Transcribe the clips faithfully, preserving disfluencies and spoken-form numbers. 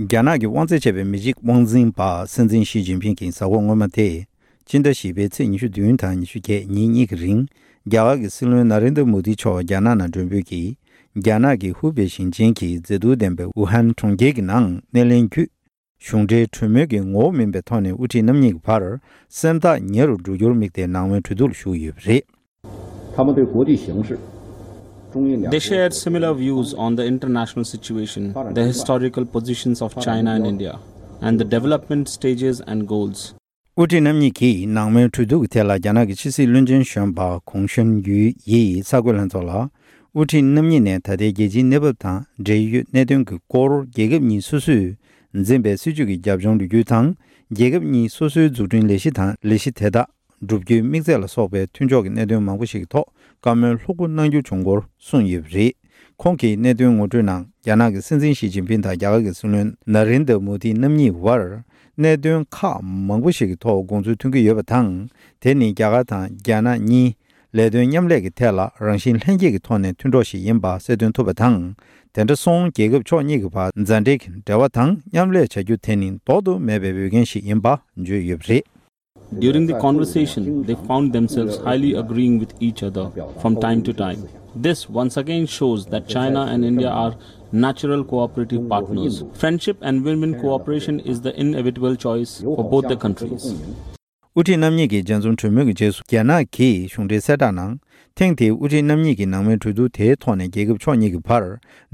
རྒྱ་ནག་གི་དབང་འཛིན་བྱས་པའི་མི་རིགས་དབང་འཛིན་པ་སྲིད་འཛིན་ཞི་ཅིན་ཕིང་གིས་གཟའ་འཁོར་སྔོན་མ་སྟེ། སྤྱི་ཟླ་བཞི་པའི་ཚེས་ཉི་ཤུ་བདུན་དང་ཉི་ཤུ་བརྒྱད་ཉིན་གཉིས་ཀྱི་རིང་། རྒྱ་གར་གྱི་སྲིད་བློན་ན་རེན་དྲ་མོ་དི་མཆོག་རྒྱ་ནག་ནང་མགྲོན་འབོད་ཀྱིས། རྒྱ་ནག་གི་ཧུའུ་པེ་ཞིང་ཆེན་གྱི་མཛེས་སྡུག་ལྡན་པའི་ཝུ་ཧན་གྲོང་ཁྱེར་གྱི་ནང་སྣེ་ལེན་བརྒྱུད། གཞུང་འབྲེལ་གྲོས་མོལ་གྱི་ངོ་བོ་མིན་པའི་ཐོག་ནས་དབུ་ཁྲིད་རྣམ་གཉིས་ཀྱི་བར་སེམས་ཐག་ཉེ་རུ་འགྲོ་རྒྱུར་དམིགས་ཏེ་ནང་པའི་གྲོས་བསྡུར་ལ་ཞུགས་ཡོད་པ་རེད། 他们对国际形势、中印两国 They shared similar views on the international situation, the historical positions of China and India, and the development stages and goals. དབུ་ཁྲིད་རྣམ་གཉིས་ཀྱིས་ནང་པའི་གྲོས་བསྡུར་གྱི་ཐད་ལ་རྒྱ་ནག་གི་ཕྱི་སྲིད་བློན་ཆེན་གཞོན་པ་གུང་ཤུན་ཡུས་ཡིས་གསར་འགོད་ལྷན་ཚོགས་ལ། དབུ་ཁྲིད་རྣམ་གཉིས་ནས་ད་ལྟའི་རྒྱལ་སྤྱིའི་གནས་བབ་དང་འབྲེལ་ཡོད་གནད་དོན་གྱི་སྐོར། རྒྱལ་ཁབ་གཉིས་སོ་སོས་འཛིན་པའི་སྲིད་བྱུས་ཀྱི་རྒྱབ་ལྗོངས་ལོ་རྒྱུས་དང་། རྒྱལ་ཁབ་གཉིས་སོ་སོའི་འཛུགས་སྐྲུན་ལས་གཞི་དང་ལས་གཞི་དེ་དག་བསྒྲུབ་རྒྱུའི་དམིགས་ཚད་ལ་སོགས་པའི་མཐུན་ཕྱོགས་ཀྱི་གནད་དོན་མང་པོ་ཞིག་གི་ཐོག་བཀའ་མོལ་ལྷུག་པོ་གནང་རྒྱུ་བྱུང་སྐོར་གསུངས་ཡོད་པ་རེད། ཁོང་གིས་གནད་དོན་ངོ་སྤྲོད་ནང་རྒྱ་ནག་གི་སྲིད་འཛིན་ཞི་ཅིན་ཕིང་དང་རྒྱ་གར་གྱི་སྲིད་བློན་ན་རེན་དྲ་མོ་དི་རྣམ་གཉིས་བར་གནད་དོན་ཁག་མང་པོ་ཞིག་གི་ཐོག་དགོངས་ཚུལ་མཐུན་གྱི་ཡོད་པ་དང་། དེ་ནི་རྒྱ་གར་དང་རྒྱ་ནག་གཉིས་ལས་དོན་མཉམ་ལས་ཀྱི་ཐད་ལ་རང་བཞིན་ལྷན་སྐྱེས་ཀྱི་ཐོག་ནས་མཐུན་གྲོགས་ཤིག་ཡིན་པ་གསལ་སྟོན་ཐུབ་པ་དང་། དེ་འདྲ་སོང་རྒྱལ་ཁབ་ཕྱོགས་གཉིས་ཀྱི་བར་མཛའ་འབྲེལ་གྱི་འབྲེལ་བ་དང་མཉམ་ལས་བྱ་རྒྱུ་དེ་ནི་ལྡོག་ཏུ་མེད་པའི་འོས་འགན་ཞིག་ཡིན་པ་བརྗོད་ཡོད་པ་རེད། During the conversation, they found themselves highly agreeing with each other from time to time. This once again shows that China and India are natural cooperative partners. Friendship and win win cooperation is the inevitable choice for both the countries. དབུ་ཁྲིད་རྣམ་གཉིས་ཀྱི་མཇལ་འཛོམས་གྲོས་མོལ་གྱི་རྗེས་སུ་རྒྱ་ནག་གིས་གཞུང་འབྲེལ་གསལ་བསྒྲགས་ནང་། ཐེངས་འདིའི་དབུ་ཁྲིད་རྣམ་གཉིས་ཀྱི་ནང་པའི་གྲོས་བསྡུར་དེའི་ཐོག་ནས་རྒྱལ་ཁབ་ཕྱོགས་གཉིས་ཀྱི་བར་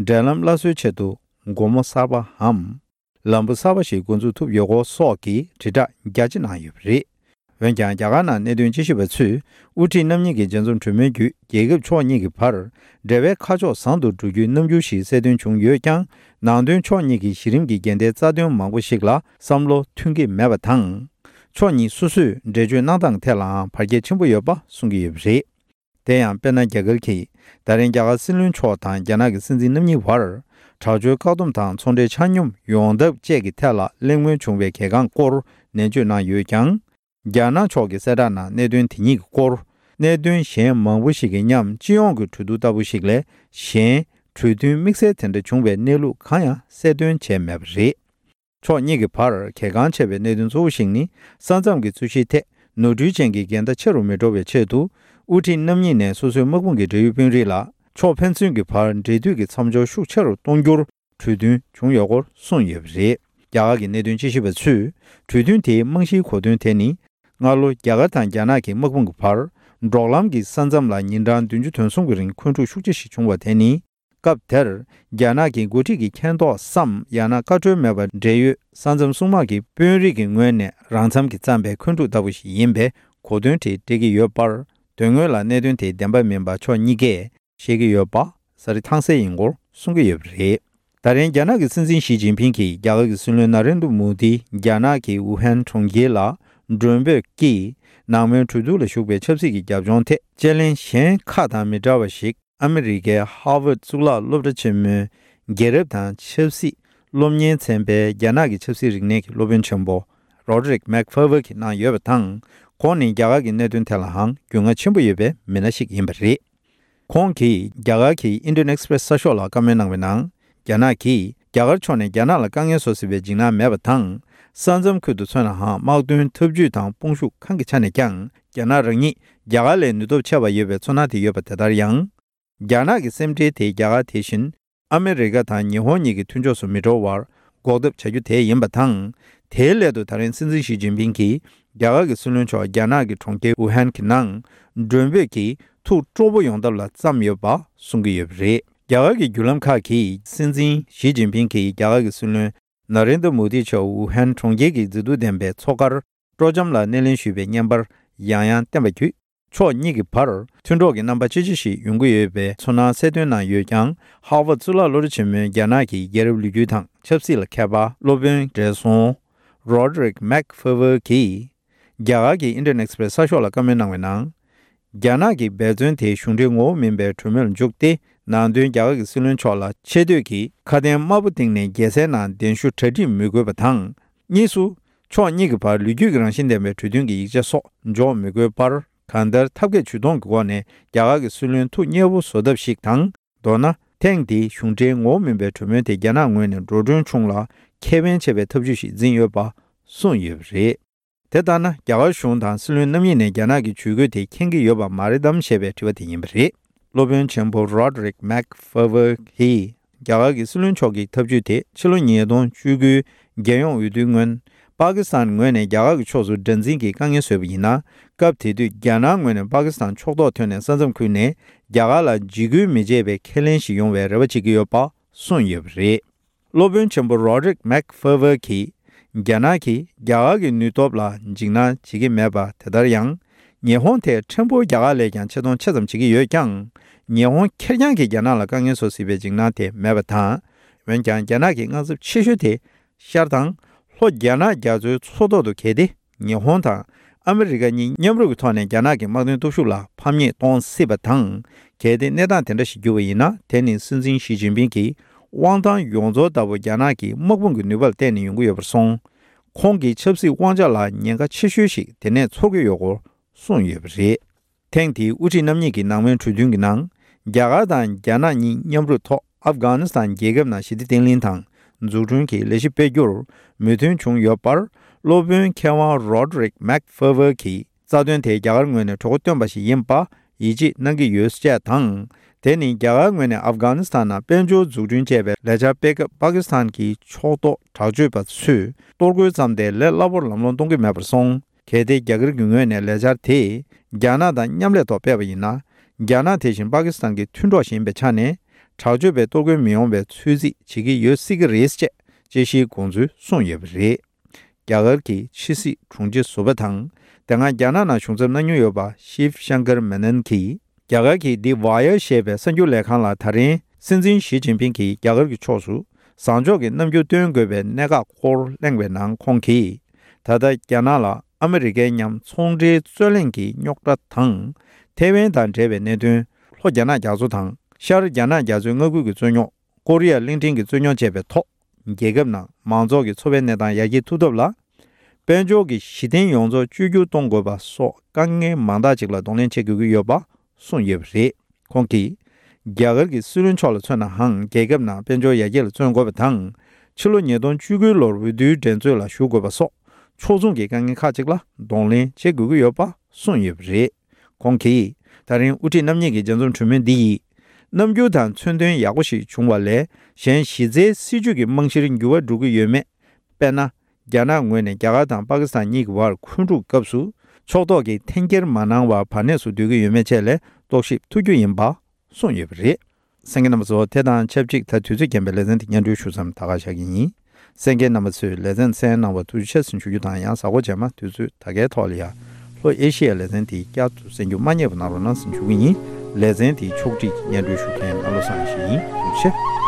འབྲེལ་ལམ་སླར་གསོའི་ཆེད་དུ་སྒོ་མོ་གསར་པའམ། ལམ་བུ་གསར་པ་ཞིག་འགོ་འཛུགས་ཐུབ་ཡོད་སྐོར་སོགས་ཀྱི་དྲིལ་བསྒྲགས་རྒྱ་ཆེ་གནང་ཡོད་པ་རེད། འོན་ཀྱང་རྒྱ་གར་ནང་གནད་དོན་དཔྱད་ཞིབ་པ་ཚོས་དབུ་ཁྲིད་རྣམ་གཉིས་ཀྱི་མཇལ་འཛོམས་གྲོས་མོལ་བརྒྱུད་རྒྱལ་ཁབ་ཕྱོགས་གཉིས་ཀྱི་བར་འབྲེལ་བའི་ཁ་ཕྱོགས་བཟང་དུ་འགྲོ་རྒྱུའི་རྣམ་འགྱུར་ཞིག་གསལ་སྟོན་བྱུང་ཡོད་ཀྱང་། ནང་དོན་ཕྱོགས་གཉིས་ཀྱི་གཞི་རིམ་གྱི་འགལ་ཟླའི་རྩ་དོན་མང་པོ་ཞིག་ལ་བསམ་བློ་མཐུན་གྱི་མེད་པ་དང་། ཕྱོགས་གཉིས་སོ་སོས་འགྲེལ་བརྗོད་གནང་སྟངས་ཐད་ལའང་བར་ཁྱད་ཆེན་པོ་ཡོད་པ་གསུང་གི་ཡོད་པ་རེད། དེ་ཡང་དཔེར་ན་རྒྱ་གར་གྱིས་ད་རིང་རྒྱ་གར་སྲིད་བློན་མཆོག་དང་རྒྱ་ནག་གི་སྲིད་འཛིན་རྣམ་གཉིས་བར་དྲག་སྤྱོད་བཀག་སྡོམ་དང་ཚོང་འབྲེལ་ཆ་སྙོམས་ཡོང་ཐབས་བཅས་ཀྱི་ཐད་ལ་གླེང་མོལ་བྱུང་བའི་གལ་འགངས་སྐོར་ནན་བརྗོད་གནང་ཡོད་ཀྱང་། རྒྱ་ནག་ཕྱོགས་ཀྱིས་གསལ་བསྒྲགས་ནང་གནད་དོན་དེ་གཉིས་ཀྱི་སྐོར། གནད་དོན་གཞན་མང་པོ་ཞིག་གི་མཉམ་སྤྱི་ཡོངས་ཀྱི་གྲོས་བསྡུར་ལྟ་བུ་ཞིག་ལས་གཞན་གྲོས་མཐུན་དམིགས་བསལ་དེ་འདྲ་བྱུང་བའི་གནས་ལུགས་གང་ཡང་གསལ་སྟོན་བྱས་མེད་པ་རེད། ཕྱོགས་གཉིས་ཀྱི་བར་གལ་འགངས་ཆེ་བའི་གནད་དོན་གཙོ་བོ་ཞིག་ནི། ས་མཚམས་ཀྱི་རྩོད་གཞིའི་ཐད་ནོར་འཁྲུལ་ཅན་གྱི་འགལ་ཟླ་ཆེ་རུ་མི་འགྲོ་བའི་ཆེད་དུ། དབུ་ཁྲིད་རྣམ་གཉིས་ནས་སོ་སོའི་དམག་དཔུང་གི་འབྲེལ་ཡོད་དཔོན་རིགས་ལ་ཕྱོགས་ཕན་ཚུན་གྱི་བར་འབྲེལ་མཐུད་ཀྱི་མཚམས་སྦྱོར་ཤུགས་ཆེ་རུ་གཏོང་རྒྱུར་གྲོས་མཐུན་བྱུང་ཡོད་སྐོར་གསུངས་ཡོད་པ་རེད། རྒྱ་གར་གྱི་གནད་དོན་དཔྱད་ཞིབ་པ་ཚོས་གྲོས་མཐུན་དེའི་རྨང་གཞིའི་གོ་དོན་དེ་ནི། སྔ་ལོ་རྒྱ་གར་དང་རྒྱ་ནག་གི་དམག་དཔུང་གི་བར་འབྲོག་ལམ་གྱི་ས་མཚམས་ལ་ཉིན་གྲངས་བདུན་ཅུ་དོན་གསུམ་གྱི་རིང་འཁོན་འཁྲུག་ཤུགས་ཆེ་ཞིག་བྱུང་བ་དེ་ནི། སྐབས་དེར་རྒྱ་ནག་གི་འགོ་ཁྲིད་ཀྱི་མཁྱེན་རྟོགས་སམ་ཡང་ན་བཀའ་འཁྲོལ་མེད་པར་འབྲེལ་ཡོད་ས་མཚམས་སྲུང་དམག་གི་དཔོན་རིགས་ཀྱི་ངོས་ནས་རང་འཚམ་གྱིས་བརྩམས་པའི་འཁོན་འཁྲུག་ལྟ་བུ་ཞིག་ཡིན་པའི་གོ་དོན་དེ་སྤྲད་ཀྱི་ཡོད་པར། དོན་དངོས་ལ་གནད་དོན་དེ་བདེན་པ་མིན་པ་ཕྱོགས་གཉིས་ཀས་ཤེས་ཀྱི་ཡོད་པ་གསལ་ཐང་གསལ་ཡིན་སྐོར་གསུང་གི་ཡོད་པ་རེད། ད་རིང་རྒྱ་ནག་གི་སྲིད་འཛིན་ཞི་ཅིན་ཕིང་གིས་རྒྱ་གར་གྱི་སྲིད་བློན་ན་རེན་དྲ་མོ་དི་རྒྱ་ནག་གི་ཝུ་ཧན་གྲོང་ཁྱེར་ལ་མགྲོན་འབོད་ཀྱིས་ནང་མོལ་གྲོས་བསྡུར་ལ་ཞུགས་པའི་ཆབ་སྲིད་ཀྱི་རྒྱབ་ལྗོངས་ཐད་དཔྱད་གླེང་གཞན་ཁག་དང་མི་འདྲ་བ་ཞིག་ཨ་མི་རི་ཀའི་ཧར་ཝརཌ་གཙུག་ལག་སློབ་གྲྭ་ཆེན་མོའི་རྒྱལ་རབས་དང་ཆབ་སྲིད་སློབ་གཉེར་ཚན་པའི་རྒྱ་ནག་གི་ཆབ་སྲིད་རིག་གནས་ཀྱི་སློབ་དཔོན་ཆེན་པོ་རོ་ཌི་རིག་མེག་ཕེར་ཝར་གྱིས་གནང་ཡོད་པ་དང་། ཁོང་ནི་རྒྱ་གར་གྱི་གནད་དོན་ཐད་ལའང་རྒྱུས་མངའ་ཆེན་པོ་ཡོད་པའི་མི་སྣ་ཞིག་ཡིན་པ་རེད། ཁོང་གིས་རྒྱ་གར་གྱི་ཨིན་ཌི་ཡན་ཨེག་སི་པི་རེ་སི་གསར་ཤོག་ལ་བཀའ་མོལ་གནང་བའི་ནང་། རྒྱ་ནག་གིས་རྒྱ་གར་ཕྱོགས་ནས་རྒྱ་ནག་ལ་དཀའ་ངལ་བཟོ་སྲིད་པའི་འཇིགས་སྣང་མེད་པ་དང་། ས་མཚམས་ཁུལ་དུ་མཚོན་ནའང་དམག་དོན་འཐབ་ཇུས་དང་དཔུང་ཤུགས་གང་གི་ཆ་ནས་ཀྱང་རྒྱ་ནག་རང་ཉིད་རྒྱ་གར་ལས་ནུས་སྟོབས་ཆེ་བ་ཡོད་པའི་ཚོར་སྣང་དེ་ཡོད་པ་དེ་ལྟར་ཡང་། རྒྱ་ནག་གི་སེམས་ཁྲལ་དེ་རྒྱ་གར་དེ་བཞིན་ཨ་མི་རི་ཀ་དང་ཉི་ཧོང་གཉིས་ཀྱི་མཐུན་ཕྱོགས་སུ་མི་འགྲོ་བར་འགོག་ཐབས་བྱ་རྒྱུ་དེ་ཡིན་པ་དང་། དེའི་སླད་དུ་ད་རིང་སྲིད་འཛིན་ཞི་ཅིན་ཕིང་གིས་རྒྱ་གར་གྱི་སྲིད་བློན་མཆོག་རྒྱ་ནག་གི་གྲོང་ཁྱེར་ཝུ་ཧན་གྱི་ནང་མགྲོན་འབོད་ཀྱིས་ཐུགས་སྤྲོ་པོ་ཡོང་ཐབས་ལ་བརྩམས་ཡོད་པ་གསུང་གི་ཡོད་པ་རེད། རྒྱ་གར་གྱི་བརྒྱུད་ལམ་ཁག་གིས་སྲིད་འཛིན་ཞི་ཅིན་ཕིང་གིས་རྒྱ་གར་གྱི་སྲིད་བློན་ན་རེན་དྲ་མོ་དི་མཆོག་ཝུ་ཧན་གྲོང་ཁྱེར་གྱི་མཛེས་སྡུག་ལྡན་པའི་མཚོ་ཁར་སྤྲོ་འཆམ་ལ་སྣེ་ལེན་ཞུས་པའི་བརྙན་པར་ཡང་ཡང་བསྟན་པ་བརྒྱུད། ཕྱོགས་གཉིས་ཀྱི་བར་མཐུན་གྲོགས་ཀྱི་རྣམ་པ་ཅི་ཆེ་ཞིག་ཡོང་གི་ཡོད་པའི་ཚོར་སྣང་གསལ་སྟོན་གནང་ཡོད་ཀྱང་། ཧར་ཝརཌ་གཙུག་ལག་སློབ་གྲྭ་ཆེན་མོའི་རྒྱ་ནག་གི་རྒྱལ་རབས་ལོ་རྒྱུས་དང་ཆབ་སྲིད་ལ་མཁས་པ་སློབ་དཔོན་བགྲེས་སོང་རོ་ཌི་རིག་མེག་ཕེར་ཝར་གྱིས། རྒྱ་གར་གྱི་ཨིན་ཌི་ཡན་ཨེག་སི་པི་རེ་སི་གསར་ཤོག་ལ་བཀའ་མོལ་གནང་བའི་ནང་། རྒྱ་ནག་གི་འབད་བརྩོན་དེ་གཞུང་འབྲེལ་ངོ་བོ་མིན་པའི་གྲོས་མོལ་ལ་འཇུག་སྟེ། ནང་དོན་རྒྱ་གར་གྱི་སྲིད་བློན་མཆོག་ལ་ཆེ་བསྟོད་ཀྱིས་ཁ་དན་དམར་པོ་བཏིང་ནས་རྒྱལ་སའི་ནང་གདན་ཞུ་གྲ་སྒྲིག་མི་དགོས་པ་དང་། གཉིས་སུ། ཕྱོགས་གཉིས་ཀྱི་བར་ལོ་རྒྱུས་ཀྱི་རང་བཞིན་ལྡན་པའི་གྲོས་མཐུན་གྱི་ཡིག་ཆ་སོགས་འཇོག་མི་དགོས་པར། གང་ལྟར་ཐབས་མཁས་ཇུས་གཏོང་གི་སྒོ་ནས་རྒྱ་གར་གྱི་སྲིད་བློན་ཐུགས་མཉེས་པོ་བཟོ་ཐབས་ཤིག་དང་། མདོར་ན། ཐེངས་འདིའི་གཞུང་འབྲེལ་ངོ་བོ་མིན་པའི་གྲོས་མོལ་དེ་རྒྱ་ནག་ངོས་ནས་འགྲོ་གྲོན་ཆུང་ལ་ ཁེ་ཕན་ཆེ་བའི་ཐབས་ཇུས་ཤིག་འཛིན་ཡོད་པ་གསུངས་ཡོད་པ་རེད། དེ་ལྟར་ན། རྒྱ་གར་གཞུང་དང་སྲིད་བློན་རྣམ་གཉིས་ནས་རྒྱ་ནག་གི་ཇུས་འགོད་དེ་མཁྱེན་གྱི་ཡོད་པ་མ་རེད་དམ་ཞེས་པའི་དྲི་བ་དེ་ཡིན་པ་རེད། སློབ་དཔོན་ཆེན་པོ་Roderick McFarlane གྱིས། རྒྱ་གར་གྱི་སྲིད་བློན་མཆོག་གི་ཐབས་ཇུས་དེ་ཕྱི་ལོ་ཉིས་སྟོང་བཅུ་དགུའི་རྒྱལ་ཡོངས་འོས་བསྡུའི་སྔོན། པ་ཀི་སི་ཐན་ངོས་ནས་རྒྱ་གར་གྱི་ཕྱོགས་སུ་དགྲར་འཛིན་གྱི་དཀའ་ངལ་བཟོས་པ་ཡིན་ན། སྐབས་དེ་དུས་རྒྱ་ནག་ངོས་ནས་པ་ཀི་སི་ཐན་ཕྱོགས་གཏོགས་ཐོན་ནས་ས་མཚམས་ཁུལ་ནས་རྒྱ་གར་ལ་འཇིགས་སྐུལ་མི་བྱེད་པའི་ཁས་ལེན་ཞིག་ཡོང་བའི་རེ་བ་བྱེད་ཀྱི་ཡོད་པ་གསུངས་ཡོད་པ་རེད། སློབ་དཔོན་ཆེན་པོ་Roderick McFarlane གྱིས། རྒྱ་ནག་གིས་རྒྱ་གར་གྱི་ནུས་སྟོབས་ལ་འཇིགས་སྣང་བྱེད་ཀྱི་མེད་པ་དེ་ལྟར་ཡང་། ཉི་ཧོང་དེས་ཕྲན་བུ་རྒྱ་གར་ལས་ཀྱང་ཆེ་མཐོང་ཆེ་ཙམ་བྱེད་ཀྱི་ཡོད་ཀྱང་། ཉི་ཧོང་ཁེར་རྐྱང་གིས་རྒྱ་ནག་ལ་དཀའ་ངལ་བཟོ་སྲིད་པའི་འཇིགས་སྣང་དེ་མེད་པ་དང་། འོན་ཀྱང་རྒྱ་ནག་གི་དངངས་འཚབ་ཆེ་ཤོས་དེ། ཤར་དང་། ལྷོ་རྒྱ་ནག་རྒྱ་མཚོའི་མཚོ་ཐོག་ཏུ་གལ་ཏེ། ཉི་ཧོང་དང་ཨ་མི་རི་ཀ་གཉིས་མཉམ་རུབ་ཀྱི་ཐོག་ནས་རྒྱ་ནག་གི་དམག་དོན་སྟོབས་ཤུགས་ལ་ཕམ་ཉེས་གཏོང་སྲིད་པ་དང་། གལ་ཏེ་གནས་སྟངས་དེ་འདྲ་ཞིག་འགྱུར་བ་ཡིན་ན། དེ་ནི་སྲིད་འཛིན་ཞི་ཅིན་ཕིང་གི་དབང་ཐང་ཡོངས་རྫོགས་ལྟ་བུ་རྒྱ་ནག་གི་དམག་དཔུང་གི་ནུས་པ་ལ་བརྟེན་ནས་ཡོང་གི་ཡོད་པར་སོང་། ཁོང་གི་ཆབ་སྲིད་དབང་ཆ་ལ་ཉེན་ཁ་ཆེ་ཤོས་ཤིག་དེ་ནས་ཚོར་གྱི་ཡོད་སྐོར་གསུངས་ཡོད་པ་རེད། ཐེངས་འདིའི་དབུ་ཁྲིད་རྣམ་གཉིས་ཀྱི་ནང་པའི་གྲོས་མཐུན་གྱི་ནང་། རྒྱ་གར་དང་རྒྱ་ནག་གཉིས་མཉམ་རུབ་ཐོག་ཨབ་གྷ་ནི་སི་ཐན་རྒྱལ་ཁབ་ནང་ཞི་བདེ་བརྟན་ལྷིང་དང་འཛུགས་སྐྲུན་གྱི་ལས་གཞི་སྤེལ་རྒྱུར་མོས་མཐུན་བྱུང་ཡོད་པར། སློབ་དཔོན་མཁས་དབང་Roderick McFarlane གྱིས། རྩ་དོན་དེ་རྒྱ་གར་ངོས་ནས་གྲོས་འགོ་བཏོན་པ་ཞིག་ཡིན་པ་ཡིད་ཆེས་གནང་གི་ཡོད་ཅེས་དང་། དེ་ནི་རྒྱ་གར་ངོས་ནས་ཨབ་གྷ་ནི་སི་ཐན་ནང་དཔལ་འབྱོར་འཛུགས་སྐྲུན་བྱས་པའི་ལས་འཆར་སྤེལ་སྐབས་པ་ཀི་སི་ཐན་གྱི་ཕྱོགས་གཏོགས་དྲག་སྤྱོད་པ་ཚོས་གཏོར་རྒོལ་བརྩམས་ཏེ་ལས་སླ་པོར་ལམ་ལྷོང་གཏོང་གི་མེད་པར་སོང་། གལ་ཏེ་རྒྱ་གར་གྱི་ངོས་ནས་ལས་འཆར་དེ་རྒྱ་ནག་དང་མཉམ་ལས་ཐོག་སྤེལ་བ་ཡིན་ན། རྒྱ་ནག་དེ་བཞིན་པ་ཀི་སི་ཐན་གྱི་མཐུན་གྲོགས་ཤིག་ཡིན་པའི་ཆ་ནས། དྲག་སྤྱོད་པས་གཏོར་རྒོལ་མི་ཡོང་བའི་ཚོད་རྩིས་བྱེད་ཀྱི་ཡོད་སྲིད་ཀྱི་རེད་ཅེས་དཔྱད་གཞིའི་དགོངས་ཚུལ་གསུངས་ཡོད་པ་རེད། རྒྱ་གར་གྱི་ཕྱི་སྲིད་དྲུང་ཆེ་ཟུར་པ་དང་། དེ་སྔ་རྒྱ་ནག་ནང་བཞུགས་མཚམས་གནང་མྱོང་ཡོད་པ་ཤིབ་ཤང་ཀར་མེ་ནན་གྱིས། རྒྱ་གར་གྱི་The Wire ཞེས་པའི་གསར་འགྱུར་ལས་ཁང་ལ་ད་རིང་སྲིད་འཛིན་ཞི་ཅིན་ཕིང་གིས་རྒྱ་གར་གྱི་ཕྱོགས་སུ་བཟང་ཕྱོགས་ཀྱི་རྣམ་འགྱུར་སྟོན་དགོས་པའི་གནད་འགག་སྐོར་གླེང་བའི་ནང་ཁོང་གིས། ད་ལྟ་རྒྱ་ནག་ལ་ཨ་མི་རི་ཀའི་མཉམ་ཚོང་འབྲེལ་རྩོད་གླེང་གི་རྙོག་དྲ་དང་། ཐེ་ཝན་དང་འབྲེལ་བའི་གནད་དོན། ལྷོ་རྒྱ་ནག་རྒྱ་མཚོ་དང་། ཤར་རྒྱ་ནག་རྒྱ་མཚོའི་མངའ་ཁུལ་གྱི་རྩོད་རྙོག་ཀོ་རི་ཡ་གླིང་ཕྲན་གྱི་རྩོད་རྙོག་བཅས་པའི་ཐོག་རྒྱལ་ཁབ་ནང་མང་ཚོགས་ཀྱི་འཚོ་བའི་གནས་སྟངས་ཡར་རྒྱས་ཐུབ་ཐབས་ལ། དཔལ་འབྱོར་གྱི་གཞི་རྟེན་ཡོངས་རྫོགས་བཅོས་བསྒྱུར་གཏོང་དགོས་པ་སོགས་དཀའ་ངལ་མང་དག་ཅིག་ལ་གདོང་ལེན་བྱེད་དགོས་ཀྱི་ཡོད་པ་གསུངས་ཡོད་པ་རེད། ཁོང་གིས། རྒྱ་གར་གྱི་སྲིད་བློན་མཆོག་ལ་མཚོན་ནའང་རྒྱལ་ཁབ་ནང་དཔལ་འབྱོར་ཡར་རྒྱས་ལ་བརྩོན་དགོས་པ་དང་། ཕྱི་ལོ་ཉིས་སྟོང་བཅུ་དགུ་ལོར་འོས་བསྡུའི་འགྲན་རྩོད་ལ་ཞུགས་དགོས་པ་སོགས་ཕྱོགས་མཚུངས་ཀྱི་དཀའ་ངལ་ཁག་ཅིག་ལ་གདོང་ལེན་བྱེད་དགོས་ཀྱི་ཡོད་པ་གསུངས་ཡོད་པ་རེད། ཁོང་གིས། ད་རིང་དབུ་ཁྲིད་རྣམ་གཉིས་ཀྱི་མཇལ་འཛོམས་གྲོས་མོལ་འདི་ཡིས། རྣམ་འགྱུར་དང་མཚོན་དོན་ཡག་པོ་ཞིག་བྱུང་བ་ལས། གཞན་གཞི་རྩའི་སྲིད་ཇུས་ཀྱི་རྨང་གཞིར་འགྱུར་བ་འགྲོ་གི་ཡོད་མེད། དཔེར་ན། རྒྱ་ནག་ངོས་ནས་རྒྱ་གར་དང་པ་ཀི་སི་ཐན་གཉིས་ཀྱི་བར་འཁོན་འཁྲུག་སྐབས་སུ། ཕྱོགས་གཏོགས་ཀྱིས་འཐེན་འཁྱེར་མ་གནང་བར་བར་གནས་སུ་སྡོད་ཀྱི་ཡོད་མེད་བཅས་ལ་རྟོག་ཞིབ་ཐུབ་རྒྱུ་ཡིན་པ་གསུངས་ཡོད་པ་རེད། གསན་མཁན་རྣམ་པ་ཚོ། དེ་དང་ཆབས་ཅིག་ད་དུས་ཚོད་རྐྱེན་པས་ལེ་ཚན་འདི་སྙན་སྒྲོན་ཞུ་མཚམས་ད་ག་བཞག་གི་ཡིན། གསན་མཁན་རྣམ་པ་ཚོས་ལེ་ཚན་གསན་གནང་བར་ཐུགས་རྗེ་ཆེ་ཟེར་ཞུ་རྒྱུ་དང་། ཡང་གཟའ་འཁོར་རྗེས་མ་དུས་ཚོད་ད་གའི་ཐོག་ལ་ཡང་ལྷོ་ཨེ་ཤི་ཡའི་ལེ་ཚན་དེ་བསྐྱར་དུ་གསན་རྒྱུ་མ་བསྙེལ་བ་གནང་རོགས་གནང་ཟེར་ཞུ་གི་ཡིན། ལེ་ཚན་དེའི་ཕྱོགས་སྒྲིག་སྙན་སྒྲོན་ཞུ་མཁན་ཨ་ལོ་སངས་ཞིག་ཡིན། ཐུགས་རྗེ་ཆེ།